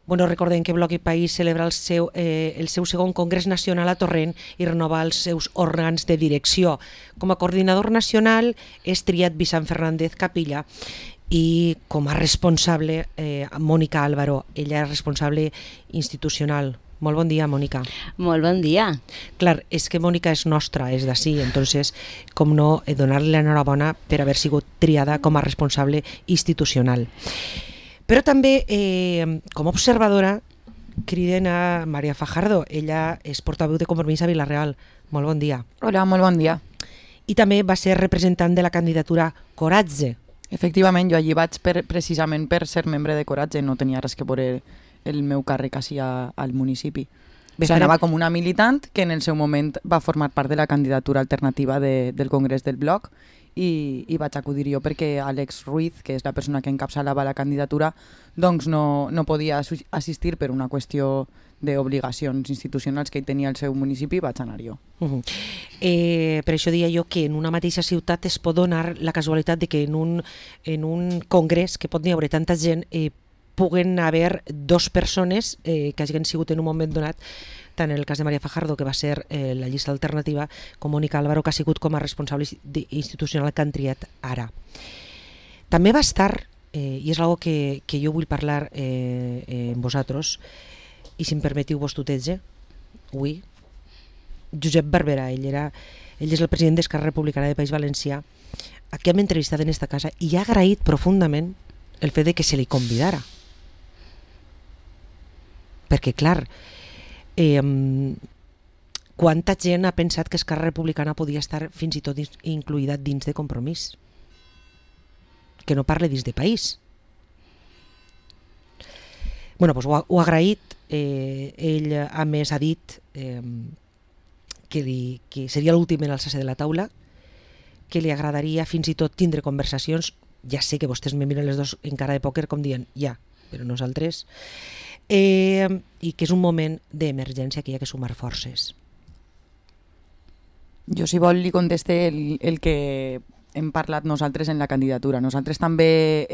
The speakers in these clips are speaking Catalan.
Bueno, recordem que Bloc i País celebra el seu segon Congrés Nacional a Torrent i renova els seus òrgans de direcció. Com a coordinador nacional és triat Vicent Fernández Capilla i com a responsable Mònica Álvaro. Ella és responsable institucional. Molt bon dia, Mònica. Molt bon dia. Clar, és que Mònica és nostra, és d'ací, entonces, com no, donar-li l'enhorabona per haver sigut triada com a responsable institucional. Però també, com a observadora, criden a Maria Fajardo. Ella és portaveu de Compromís a Vila-real. Molt bon dia. Hola, molt bon dia. I també va ser representant de la candidatura Coratge. Efectivament, jo allí vaig precisament per ser membre de Coratge, no tenia res que veure el meu càrrec així al municipi. Anava com una militant que en el seu moment va formar part de la candidatura alternativa del Congrés del Bloc i vaig acudir jo perquè Àlex Ruiz, que és la persona que encapçalava la candidatura, doncs no podia assistir per una qüestió d'obligacions institucionals que ell tenia al seu municipi, vaig anar jo. Per això deia jo que en una mateixa ciutat es pot donar la casualitat de que en un congrés que pot n'hi haver tanta gent puguen haver dos persones que hagin sigut en un moment donat, tant en el cas de Maria Fajardo, que va ser la llista alternativa, com Mònica Álvaro, que ha sigut com a responsable institucional que han triat ara. També va estar, i és una que jo vull parlar amb vosaltres, i si em permetiu vos tuteja, avui, Josep Barberà, ell és el president d'Esquerra Republicana de País Valencià, a qui hem entrevistat en esta casa i ha agraït profundament el fet de que se li convidara. Perquè, clar, quanta gent ha pensat que Esquerra Republicana podia estar fins i tot incluïda dins de Compromís, que no parle dins de País. Bueno, doncs ho ha agraït. Ell a més ha dit que seria l'últim en alçar-se de la taula, que li agradaria fins i tot tindre conversacions. Ja sé que vostès me miren les dos en cara de pòquer com dient ja, però nosaltres, i que és un moment d'emergència que hi ha que sumar forces. Jo, si vol, li conteste el que hem parlat nosaltres en la candidatura. Nosaltres també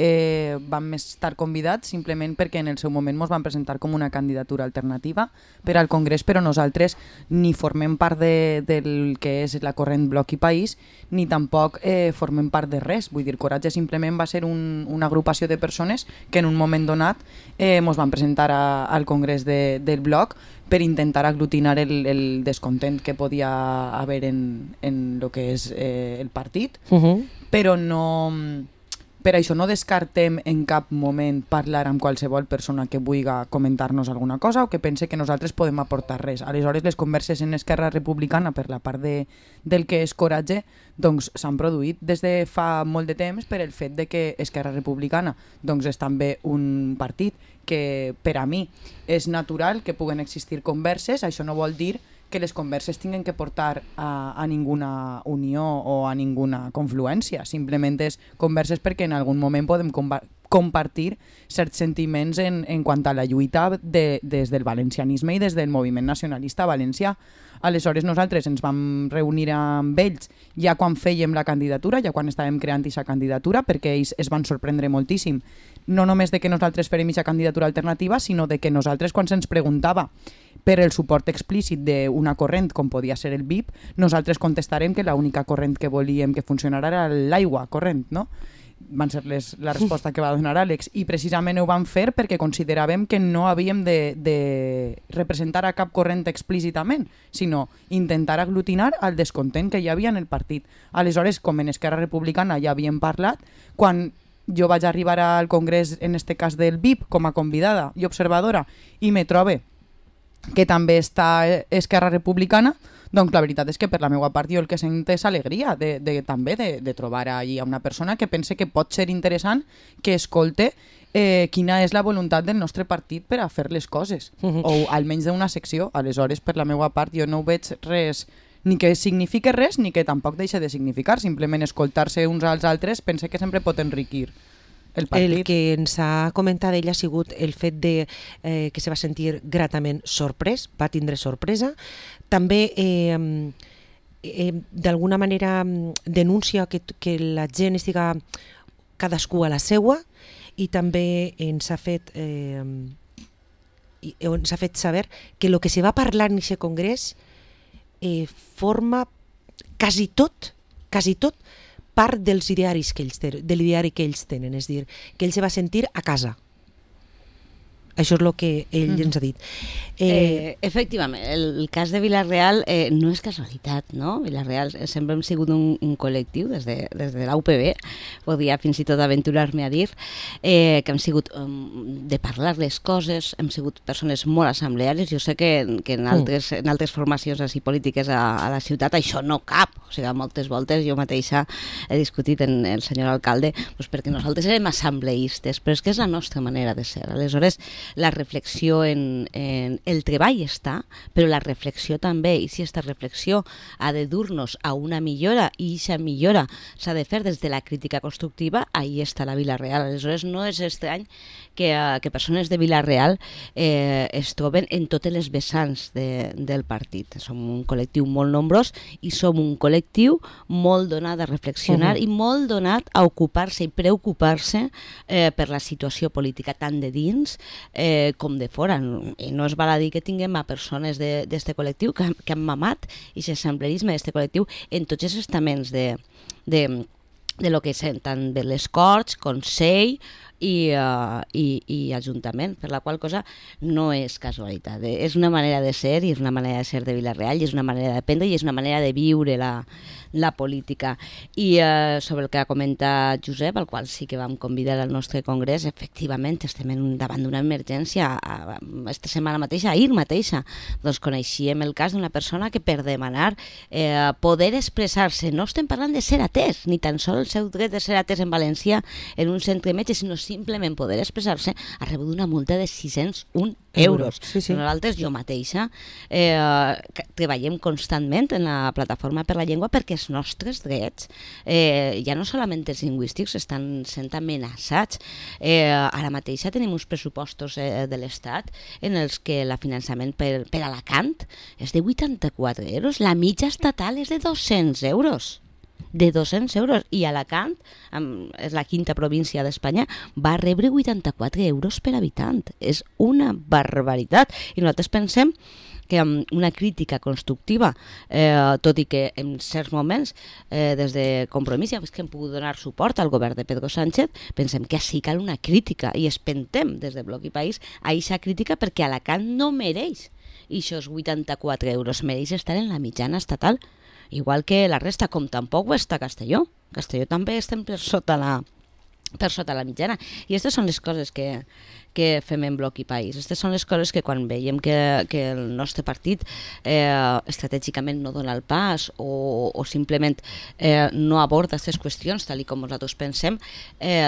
vam estar convidats simplement perquè en el seu moment ens van presentar com una candidatura alternativa per al Congrés, però nosaltres ni formem part del que és la corrent Bloc i País, ni tampoc formem part de res. Vull dir, Coratge simplement va ser una agrupació de persones que en un moment donat ens van presentar al Congrés del Bloc per intentar aglutinar el descontent que podia haver en el que és el partit, però no, per això no descartem en cap moment parlar amb qualsevol persona que vulgui comentar-nos alguna cosa o que pense que nosaltres podem aportar res. Aleshores, les converses en Esquerra Republicana per la part del que és Coratge doncs s'han produït des de fa molt de temps per el fet de que Esquerra Republicana doncs és també un partit que per a mi és natural que puguen existir converses. Això no vol dir que les converses tinguin que portar a ninguna unió o a ninguna confluència. Simplement és converses perquè en algun moment podem compartir certs sentiments en quant a la lluita des del valencianisme i des del moviment nacionalista valencià. Aleshores nosaltres ens vam reunir amb ells ja quan fèiem la candidatura, ja quan estàvem creant aquesta candidatura, perquè ells es van sorprendre moltíssim, no només de que nosaltres fèrem aquesta candidatura alternativa, sinó de que nosaltres, quan se'ns preguntava per el suport explícit d'una corrent com podia ser el BIP, nosaltres contestarem que l'única corrent que volíem que funcionara era l'aigua corrent, no? Van ser la resposta que va donar Àlex, i precisament ho vam fer perquè consideràvem que no havíem de representar a cap corrent explícitament, sinó intentar aglutinar el descontent que hi havia en el partit. Aleshores, com en Esquerra Republicana ja havíem parlat, quan jo vaig arribar al Congrés, en este cas del BIP, com a convidada i observadora, i me trobe que també està Esquerra Republicana, doncs la veritat és que per la meva part jo el que sent és alegria també de trobar allí a una persona que pense que pot ser interessant que escolte quina és la voluntat del nostre partit per a fer les coses, o almenys d'una secció. Aleshores, per la meva part, jo no veig res, ni que signifique res, ni que tampoc deixi de significar. Simplement escoltar-se uns als altres pense que sempre pot enriquir el partit. El que ens ha comentat ell ha sigut el fet de que se va sentir gratament sorprès, va tindre sorpresa. També d'alguna manera denuncia que la gent estiga cadascú a la seua, i també ens ha fet on s'ha fet saber que el que se va parlar en aquest congrés forma quasi tot part del diari que ells tenen, és a dir, que ell se va sentir a casa. Això és el que ell ens ha dit. Efectivament, el cas de Vila-real no és casualitat, no? Vila-real sempre hem sigut un col·lectiu, des de la UPB, podia fins i tot aventurar-me a dir, que hem sigut de parlar les coses, hem sigut persones molt assembleàries. Jo sé que en altres formacions així polítiques a la ciutat això no cap. O sigui, moltes voltes jo mateixa he discutit amb el senyor alcalde perquè nosaltres érem assembleistes, però és que és la nostra manera de ser. Aleshores, la reflexió en el treball està, però la reflexió també, i si aquesta reflexió ha de dur-nos a una millora, i aquesta millora s'ha de fer des de la crítica constructiva, ahí està la Vila-real. Aleshores, no és estrany que persones de Vila-real es troben en totes les vessants del partit. Som un col·lectiu molt nombrós i som un col·lectiu molt donat a reflexionar i molt donat a ocupar-se i preocupar-se per la situació política tant de dins com de fora. I no es val a dir que tinguem a persones d'este col·lectiu que han mamat i l'assemblerisme d'este col·lectiu en tots els estaments de lo que és tant de les Corts, Consell i Ajuntament, per la qual cosa no és casualitat. És una manera de ser i és una manera de ser de Vila-real i és una manera d'aprendre i és una manera de viure la política. I sobre el que ha comentat Josep, al qual sí que vam convidar al nostre congrés, efectivament estem davant d'una emergència. Esta setmana mateixa, ahir mateixa, doncs coneixíem el cas d'una persona que per demanar poder expressar-se, no estem parlant de ser atès, ni tan sols el seu dret de ser atès en València en un centre metge, sinó simplement poder expressar-se, ha rebut una multa de 601 euros. Sí. Nosaltres, jo mateixa, treballem constantment en la Plataforma per la Llengua perquè els nostres drets, ja no solament els lingüístics, estan sent amenaçats. Ara mateixa tenim uns pressupostos de l'Estat en els que el finançament per Alacant és de 84 euros, la mitja estatal és de 200 euros. De 200 euros, i Alacant, és la quinta província d'Espanya, va rebre 84 euros per habitant. És una barbaritat. I nosaltres pensem que amb una crítica constructiva, tot i que en certs moments, des de Compromís, ja que hem pogut donar suport al govern de Pedro Sánchez, pensem que sí cal una crítica, i espentem des de Bloc i País a aquesta crítica perquè Alacant no mereix aquests 84 euros, mereix estar en la mitjana estatal, igual que la resta, com tampoc ho està Castelló. Castelló també estem per sota la mitjana. I aquestes són les coses que fem en Bloc i País. Aquestes són les coses que quan veiem que el nostre partit estratègicament no dona el pas o simplement no aborda aquestes qüestions tal com nosaltres pensem,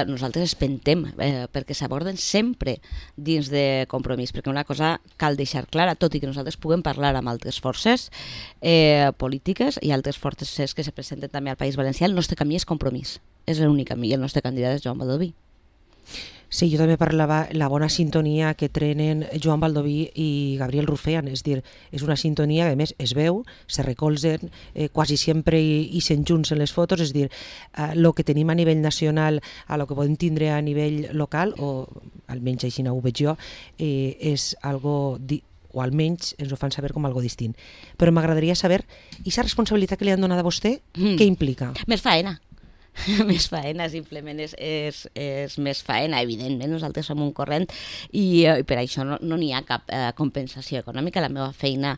nosaltres espentem perquè s'aborden sempre dins de Compromís, perquè una cosa cal deixar clara, tot i que nosaltres puguem parlar amb altres forces polítiques i altres forces que se presenten també al País Valencià, el nostre camí és Compromís. És l'únic camí, i el nostre candidat és Joan Baldoví. Sí, jo també parlava la bona sintonia que trenen Joan Baldoví i Gabriel Rufean, és dir, és una sintonia que a més es veu, se recolzen quasi sempre i se'n junts en les fotos, és dir, el que tenim a nivell nacional a lo que podem tindre a nivell local, o almenys així ho veig jo, és algo o almenys ens ho fan saber com algo distint. Però m'agradaria saber, i aquesta responsabilitat que li han donat a vostè, què implica? Més faena. Més faena, simplement és més faena. Evidentment, nosaltres som un corrent i per això no n'hi ha cap compensació econòmica. La meva feina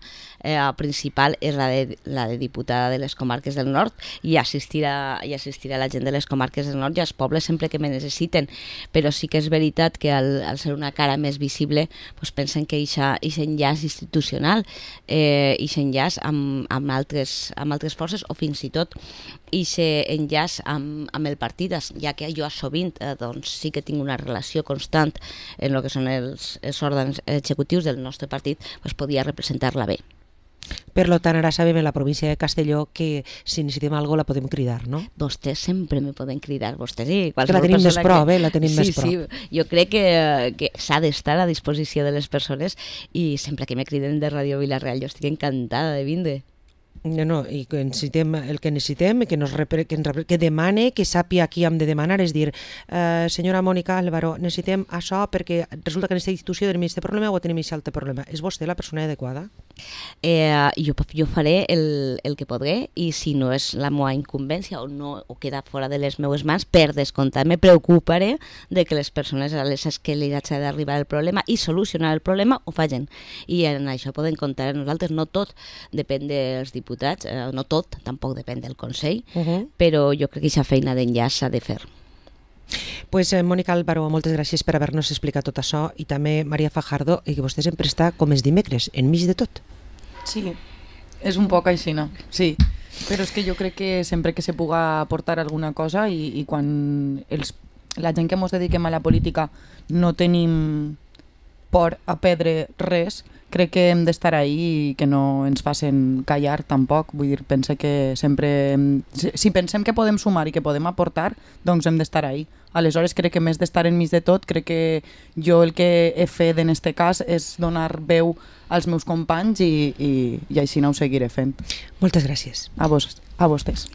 principal és la de diputada de les comarques del nord i assistir a la gent de les comarques del nord i als pobles sempre que me necessiten, però sí que és veritat que al ser una cara més visible pensen que aquest enllaç institucional, aquest enllaç amb altres forces o fins i tot aquest enllaç amb el partit, ja que jo sovint sí que tinc una relació constant en el que són els òrgans executius del nostre partit, podia representar-la bé. Per tant, ara sabem en la província de Castelló que si necessitem alguna cosa la podem cridar, no? Vostès sempre me poden cridar, vostès i Que qualsevol la tenim més persona prop, la tenim més prop. Sí, jo crec que s'ha d'estar a disposició de les persones i sempre que me criden de Ràdio Vila-real jo estic encantada de vindre. No, i que necessitem el que necessitem, que demane, que sàpia qui hem de demanar, és dir, senyora Mònica Álvaro, necessitem això perquè resulta que en aquesta institució tenim aquest problema o tenim aquest altre problema. És vostè la persona adequada? Jo faré el que podré, i si no és la meva incumbència o queda fora de les meves mans, per descomptat me preocuparé de que les persones a les que li haig d'arribar el problema i solucionar el problema ho facin. I en això poden comptar amb nosaltres. No tot depèn dels diputats, no tot, tampoc depèn del Consell, però jo crec que aquesta feina d'enllaç s'ha de fer. Pues Mònica Álvaro, moltes gràcies per haver-nos explicat tot això, i també Maria Fajardo, i que vostè sempre està com els dimecres, enmig de tot. Sí, és un poc així, no? Sí, però és que jo crec que sempre que se puga aportar alguna cosa i quan la gent que ens dediquem a la política no tenim por a perdre res, crec que hem d'estar ahí i que no ens facin callar tampoc. Vull dir, pense que sempre... Si pensem que podem sumar i que podem aportar, doncs hem d'estar ahí. Aleshores, crec que més d'estar enmig de tot, crec que jo el que he fet en este cas és donar veu als meus companys i així no ho seguiré fent. Moltes gràcies. A vostès.